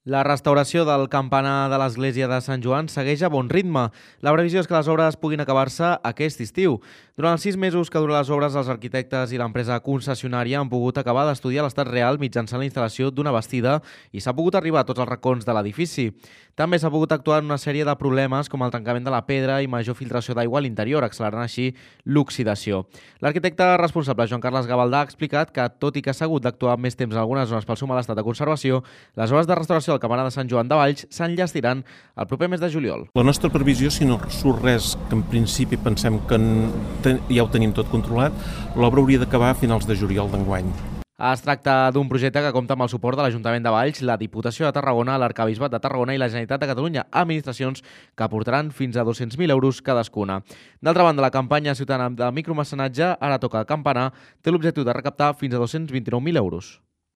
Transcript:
La restauració del campanar de l'església de Sant Joan segueix a bon ritme. La previsió és que les obres puguin acabar-se aquest estiu. Durant els 6 mesos que duren les obres, els arquitectes i l'empresa concessionària han pogut acabar d'estudiar l'estat real mitjançant la instal·lació d'una bastida i s'ha pogut arribar a tots els racons de l'edifici. També s'ha pogut actuar en una sèrie de problemes com el tancament de la pedra i major filtració d'aigua a l'interior, accelerant així l'oxidació. L'arquitecte responsable, Joan Carles Gavaldà, ha explicat que, tot i que s'ha hagut d'actuar més temps en algunes zones pel seu mal estat de conservació, les obres de restauració del campanar de Sant Joan de Valls s'enllestiran el proper mes de juliol. La nostra previsió, si no surt res que en principi pensem que ja ho tenim tot controlat, l'obra hauria d'acabar a finals de juliol d'enguany. Es tracta d'un projecte que compta amb el suport de l'Ajuntament de Valls, la Diputació de Tarragona, l'Arquebisbat de Tarragona i la Generalitat de Catalunya, administracions que aportaran fins a 200.000 euros cadascuna. D'altra banda, la campanya ciutadana de micromecenatge Ara toca el campanar té l'objectiu de recaptar fins a 229.000 euros.